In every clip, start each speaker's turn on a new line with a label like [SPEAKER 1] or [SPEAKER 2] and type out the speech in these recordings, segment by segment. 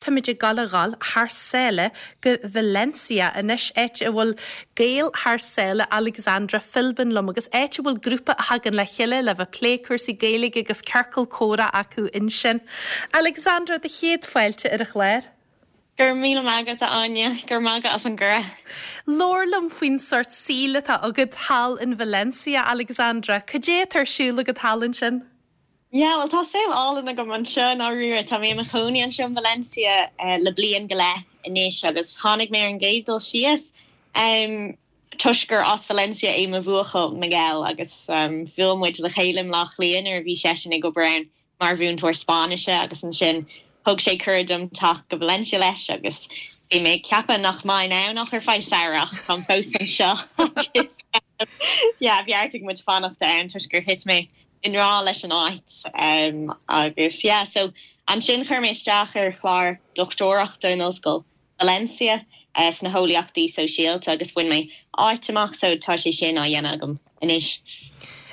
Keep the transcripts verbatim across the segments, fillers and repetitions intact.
[SPEAKER 1] Táimid ag gabháil a dhul thar sáile go Valencia anois áit a bhfuil Gael thar sáile Alexandra Philbin liom agus áit a bhfuil grúpa a thagann le chéile le bheith plé cúrsaí Gaeilge agus ciorcal comhrá acu ansin. Alexandra do chéad fáilte ar an chlár.
[SPEAKER 2] Gur míle maith agat Áine gur maga as an gcuireadh.
[SPEAKER 1] Labhair liom faoin sórt saoil atá agat thall in Valencia Alexandra, Cad é atá ar siúl agat thall ansin?
[SPEAKER 2] Ja, well tá saol álainn agam anseo dáiríre tá mé i mo chónaí anseo in Valencia uh, le bliain go leith anois agus tháinig mé ar an gcéad dul síos um, toisc gur as Valencia é mo bhuachaill Miguel agus um, bhuail muid le chéile lá clian ar bhí seisean ag obair ann mar mhúinteoir Spáinnise agus ansin thug sé cuireadh dom teacht go Valencia leis agus bhí mé ceapadh nach mbeinn ann ach ar feadh samhradh táim fós anseo Ja, bheartaigh muid fanacht ann toisc gur thit mé i ngrá leis an áit um, agus yeah, so ansin chuir mé isteach ar chlár dochtúireachta in Ollscoil Valencia uh, sna heolaíochtaí sóisialta agus bhain mé áit amach so tá sé sin á dhéanamh agam anois.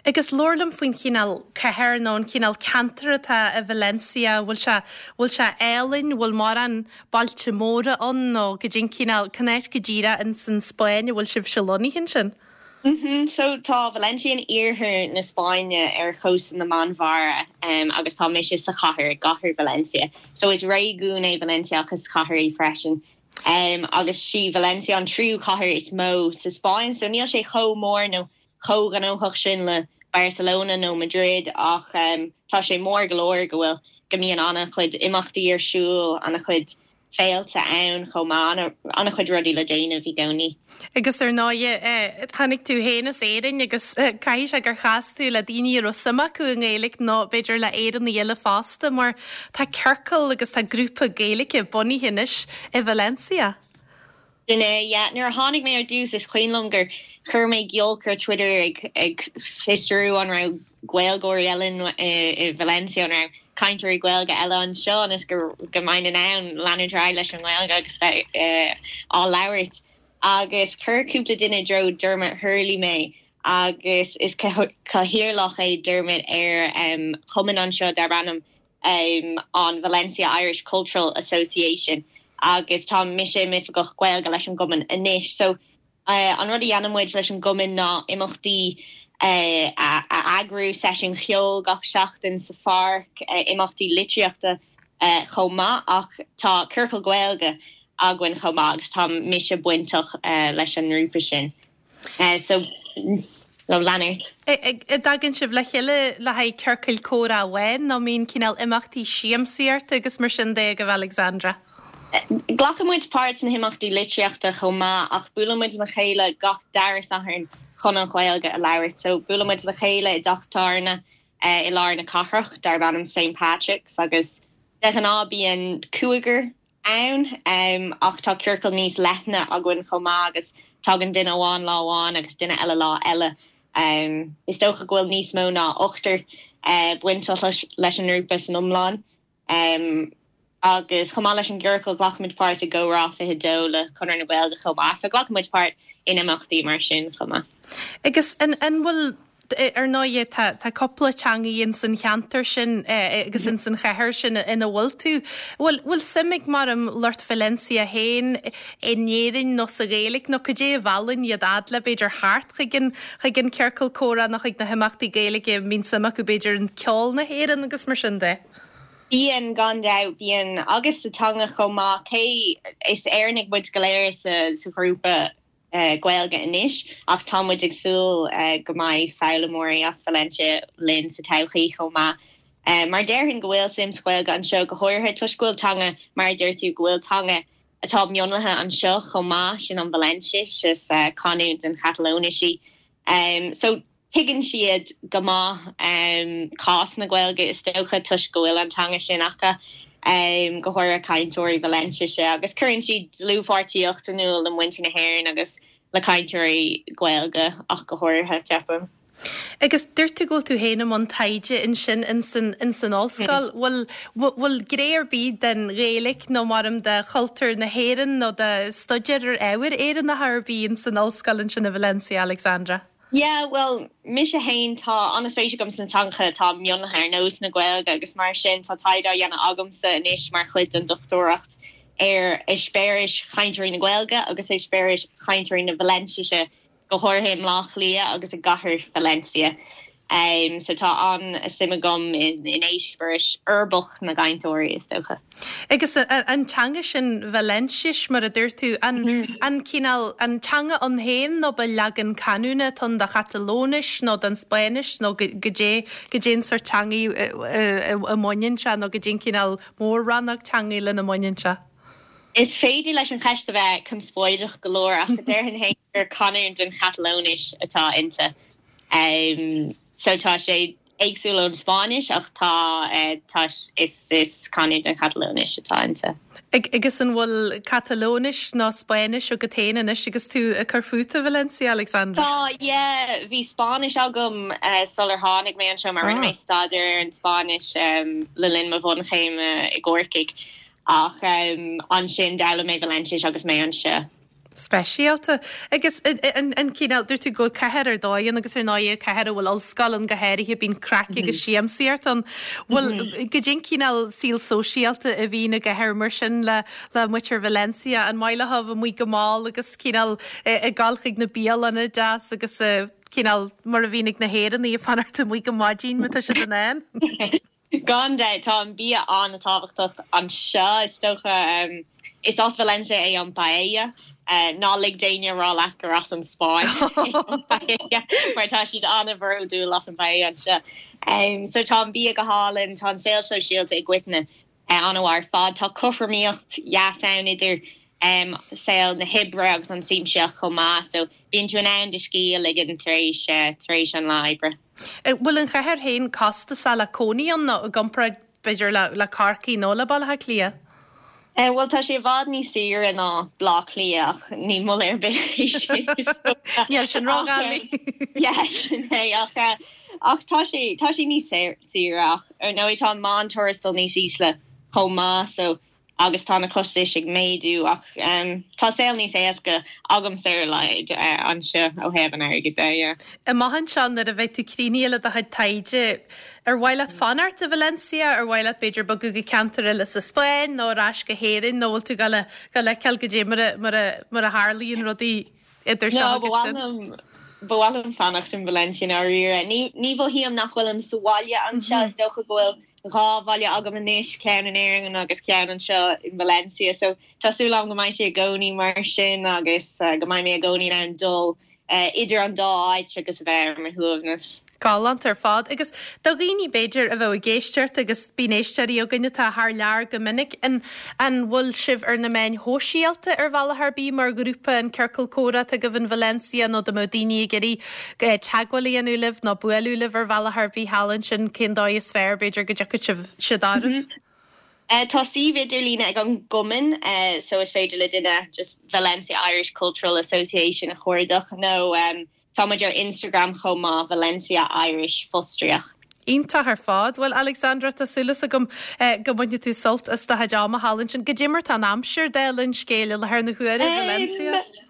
[SPEAKER 1] Agus labhair liom faoin chineál cathair nó an cineál ceantar atá i Valencia bhfuil sé bhfuil sé álainn bhfuil mórán bailte móra ann nó cad é an cineál cén áit go díreach in san Spáinn bhfuil sibh se lonnaithe ansin.
[SPEAKER 2] Mm -hmm. So tá Valencia in iarthar na Spáinne ar chósta na Meánmhara um, agus tá mise sa chathair gcathair Valencia. So is réigiún é Valencia agus cathair í freisin. Um, agus sí Valencia an tríú cathair is mó sa Spáinn, so níl sé chomh mór nó chomh gnóthach sin le Barcelona nó Madrid ach um, tá sé mór go leor go bhfuil go mbíonn an-chuid imeachtaí ar siúl an-chuid féilte ann chomh maith an-chuid rudaí le déanamh i gcónaí.
[SPEAKER 1] Agus ar ndóigh eh, tháinig tú féin as Éirinn agus eh, caithfidh sé gur chas tú le daoine a raibh suim acu i nGaeilge nó b'fhéidir le Éireannaigh eile fosta mar tá ciorcal agus tá grúpa Gaeilge bunaithe anois i Valencia.
[SPEAKER 2] Sin é nuair a tháinig mé ar dtús is cuimhin liom gur chuir mé giolc ar Twitter ag ag fiosrú an raibh Gaeilgeoirí eile i Valencia an raibh cainteoirí Gaeilge eile anseo is go go mbeinn in ann leanúint leis an nGaeilge agus bheith uh, á labhairt. agus chuir cúpla duine i dtreo Dermot Hurley mé agus is cathaoirleach é Dermot ar um, chumann anseo darb ainm um, an Valencia Irish Cultural Association agus tá mise i m'oifigeach Gaeilge leis an gcumann anois so uh, an rud a dhéanann muid leis an gcumann ná imeachtaí uh, a, a eagrú seisiún ceoil gach seachtain sa pháirc uh, imeachtaí litríochta uh, chomh maith ach tá ciorcal Gaeilge againn chomh maith agus tá mise bainteach uh, leis an ngrúpa sin. Uh, so le leanúint.
[SPEAKER 1] An dtagann sibh le chéile le haghaidh ciorcal comhrá amháin nó mbíonn cineál imeachtaí siamsaíochta agus mar sin de go Alexandra.
[SPEAKER 2] Glacann muid páirt sna himeachtaí litríochta chomh maith ach buaileann muid le chéile gach dara Satharn chun an Ghaeilge a labhairt, so buaileann muid le chéile i dteach tábhairne uh, i lár na cathrach darb ainm St. Patrick's agus de ghnáth bíonn cúigear ann um, ach tá ciorcal níos leithne againn chomh maith agus tagann duine amháin lá amháin agus duine eile lá eile. Um, is dócha go bhfuil níos mó ná ochtar uh, bainteach leis an ngrúpa san iomlán. Um, agus chomh maith leis an gciorcal glacann muid páirt i gComhrá fiche dó le Conradh na Gaeilge chomh maith, so glacann muid páirt in imeachtaí mar sin chomh maith.
[SPEAKER 1] Agus an an bhfuil ar ndóigh tá tá cúpla teanga in san cheantar sin agus in san chathair sin ina bhfuil tú. Bhfuil bhfuil suim ag mar am lucht Valencia féin in Éirinn nó sa Ghaeilge nó cad é a mheallann iad fhad le b'fhéidir thart chuig an chuig an ciorcal comhrá nó chuig na himeachtaí Gaeilge mbíonn suim acu b'fhéidir in ceol na hÉireann agus mar sin de.
[SPEAKER 2] Bíonn gan dabht bíonn agus sa teanga chomh maith cé is Éireannaigh muid go léir sa sa ghrúpa uh, Gaeilge anois ach tá muid ag súil uh, go mbeidh foghlaimeoirí as Valencia linn sa todhchaí chomh maith. Uh, mar déarfainn go bhfuil suim sa Ghaeilge anseo go háirithe toisc go bhfuil teanga mar deir tú go bhfuil teanga atá mionlaithe anseo chomh maith sin an Valenciais is uh, canúint den Chatalóinis í. Um, so tuigeann siad go maith um, cás na Gaeilge is dócha toisc go bhfuil an teanga sin acu um, go háirithe cainteoirí Valenciaise agus cuireann siad dlúthpháirtíocht in iúl le muintir na hÉireann agus le cainteoirí Gaeilge ach go háirithe ceapaim.
[SPEAKER 1] Agus dúirt tú go bhfuil tú féin i mbun taighde ansin in san in san ollscoil bhfuil bhfuil gné ar bith den Ghaeilge nó mar am de chultúr na hÉireann nó de staidéar ar ábhair Éireannacha ar bith in san ollscoil ansin i Valencia Alexandra.
[SPEAKER 2] Yeah, well mise féin tá an-spéis agam sna teangacha atá mionlaithe ar nós na Gaeilge agus mar sin tá taighde á dhéanamh agamsa anois mar chuid den dochtúireacht ar eispéiris chainteoirí na Gaeilge agus eispéiris chainteoirí na Vaileintise go háirithe i mBleá Cliath agus i gcathair Valencia. Um, so tá an-suim agam in, in eispéiris uirbeach na gcainteoirí is dócha.
[SPEAKER 1] Agus an teanga sin Vailinsis mar a dúirt tú an, mm -hmm. an cineál an teanga ann féin nó ba leagan canúna ann den Chatalóinis nó den Spáinnis nó goidé goidé an sórt teanga a mbaineann sé nó goidé an cineál mór-rannóg teanga lena mbaineann sé.
[SPEAKER 2] Is féidir leis an cheist a bheith conspóideach go leor ach déarfainn féin gur canúint den Chatalóinis atá inti. Um, so tá sé éagsúil ón Spáinnis ach tá uh, tá is is canúint den Chatalóinis atá inti.
[SPEAKER 1] Agus an bhfuil Catalóinis ná Spáinnis agat féin anois agus tú ag cur fút i Valencia Alexandra?
[SPEAKER 2] Tá yeah, bhí Spáinnis agam uh, sular tháinig mé anseo mar rinne mé staidéar an Spáinnis um, le linn mo bhunchéim uh, i gCorcaigh ach um, ansin d'fhoghlaim mé Vailinsis agus mé anseo.
[SPEAKER 1] Speisialta agus an cineál dúirt tú go cathair ar dóigh agus ar ndóigh cathair a bhfuil ollscoil ann go háirithe bíonn craic agus siamsaíocht ann bhfuil goidé an cineál saol sóisialta a bhíonn i gcathair mar sin le le muintir Valencia an maith leo amuigh go mall agus cineál ag dul chuig na bialanna deas agus cineál mar a bhíonn ag na hÉireannaigh ag fanacht amuigh go maidin má tá siad in ann.
[SPEAKER 2] Gan dabht tá an bia an-tábhachtach anseo is dócha um, is as Valencia é an paella. Uh, ná lig d'éinne rá leat gur as an Spáinn mar tá siad an-bhródúil as an paella anseo. Um, so tá an bia go hálainn tá an saol sóisialta i gcoitinne uh, an-mhaith ar fad tá cothromaíocht dheas ann idir um, saol na hoibre agus an siamsaíocht chomh maith, so bíonn tú in ann do scíth a ligean tar éis uh, tar éis an lá oibre.
[SPEAKER 1] Bhfuil an chathair féin costasach le cónaí ann nó i gcomparáid b'fhéidir le le Corcaigh nó le Baile Átha Cliath?
[SPEAKER 2] Uh, well tá sé i bhfad níos saoire ná Bleá Cliath ach ní moladh ar bith
[SPEAKER 1] Níl sin róghailí.
[SPEAKER 2] sin é ach ach tá sé tá sé níos saoire ach ar ndóigh tá meántuarastal níos ísle chomh maith so agus tá na costais ag méadú ach um, tá saol níos éasca agamsa ar a laghad uh, anseo ó thaobh an airgid de. Yeah.
[SPEAKER 1] Amach anseo nuair a bheidh tú críochnaithe le do chuid taighde ar mhaith leat fanacht i Valencia ar mhaith leat b'fhéidir bogadh go ceantar eile sa Spáinn nó ar ais go hÉirinn nó bhfuil tú le go leceil go dé mar mar a tharlaíonn rudaí idir
[SPEAKER 2] No, ba mhaith liom fanacht in Valencia dáiríre. Ní ní mhothaím nach bhfuilim sa bhaile anseo is dócha go bhfuil dhá bhaile agam anois ceann in Éirinn agus ceann anseo in Valencia, so tá súil agam go mbeidh sé i gcónaí mar sin agus uh, go mbeidh mé i gcónaí an dul uh, idir an dá áit agus a bheith ar mo shuaimhneas.
[SPEAKER 1] Galánta ar fad agus do dhaoine b'fhéidir a bheith ag éisteacht agus bíonn éisteoirí againn atá thar lear go minic an an bhfuil sibh ar na meáin shóisialta ar bhealach ar bith mar ghrúpa an ciorcal comhrá agaibh in Valencia nó dá mbeadh daoine ag iarraidh teagmháil a dhéanamh libh nó bualadh libh ar bhealach ar bith thall ansin cén dóigh is fearr b'fhéidir go dtiocfadh sibh siad oraibh.
[SPEAKER 2] Uh, tá suíomh idirlín ag an gcumann uh, so is féidir le duine just Valencia Irish Cultural Association a chuardach nó um, tá muid ar Instagram chomh maith Valencia Irish fostríoch.
[SPEAKER 1] Iontach ar fad, Well Alexandra tá súil agam eh, go mbainfidh tú sult as do chuid ama thall ansin goidé mar tá an aimsir dála an scéil i láthair na huaire Valencia.
[SPEAKER 2] Um,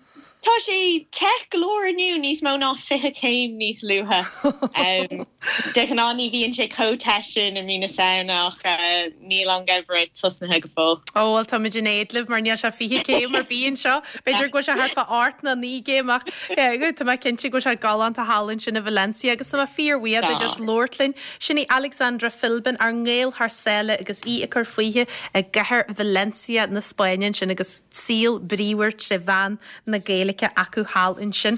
[SPEAKER 2] Tá sé te go leor inniu níos mó ná fiche céim níos luaithe. um, de ghnáth ní bhíonn sé chomh te sin i mí na Samhna ach uh, níl an geimhreadh tosnaithe go fóill.
[SPEAKER 1] Ó well tá muid in éad libh mar níl sé fiche céim ar bith anseo, B'fhéidir go sé thart fá ocht nó naoi gcéim ach tá mé cinnte go bhfuil sé galánta thall ansin i Valencia agus tá mé fíorbhuíoch Tá. just labhairt linn sin í Alexandra Philbin ár nGael thar sáile agus í ag cur fúithi i gcathair Valencia na Spáinne sin agus saol bríomhar trí mheán na Gaeilge acu thall ansin.